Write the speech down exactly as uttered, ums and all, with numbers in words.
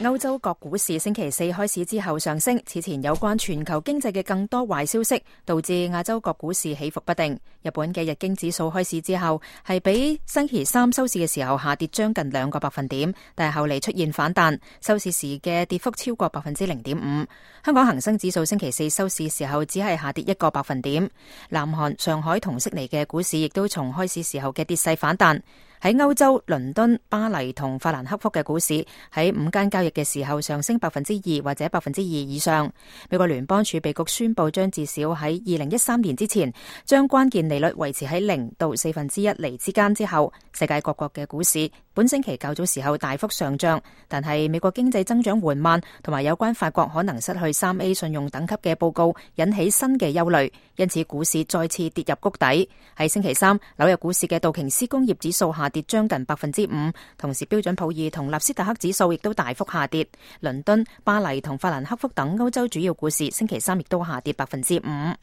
歐洲各股市星期四開市之後上升，此前有關全球經濟嘅更多壞消息，導致亞洲各股市起伏不定。日本嘅日經指數開市之後係比星期三收市嘅時候下跌將近兩個百分點，但係後嚟出現反彈，收市時嘅跌幅超過百分之零點五。香港恒生指數星期四收市時候只係下跌一個百分點。南韓、上海同悉尼嘅股市亦都從開市時候嘅跌勢反彈。喺歐洲，倫敦、巴黎同法蘭克福嘅股市喺午間交易嘅時候上升百分之二或者百分之二以上。美國聯邦儲備局宣布將至少喺二零一三年之前將關鍵利率維持喺零到四分之一厘之間之後，世界各國嘅股市本星期較早時候大幅上漲，但係美國經濟增長緩慢同埋有關法國可能失去三 A 信用等級嘅報告引起新嘅憂慮，因此股市再次跌入谷底。喺星期三，紐約股市嘅道瓊斯工業指數下跌將近百分之五，同時標準普爾同納斯達克指數亦都大幅下跌。倫敦、巴黎同法蘭克福等歐洲主要股市星期三亦都下跌百分之五。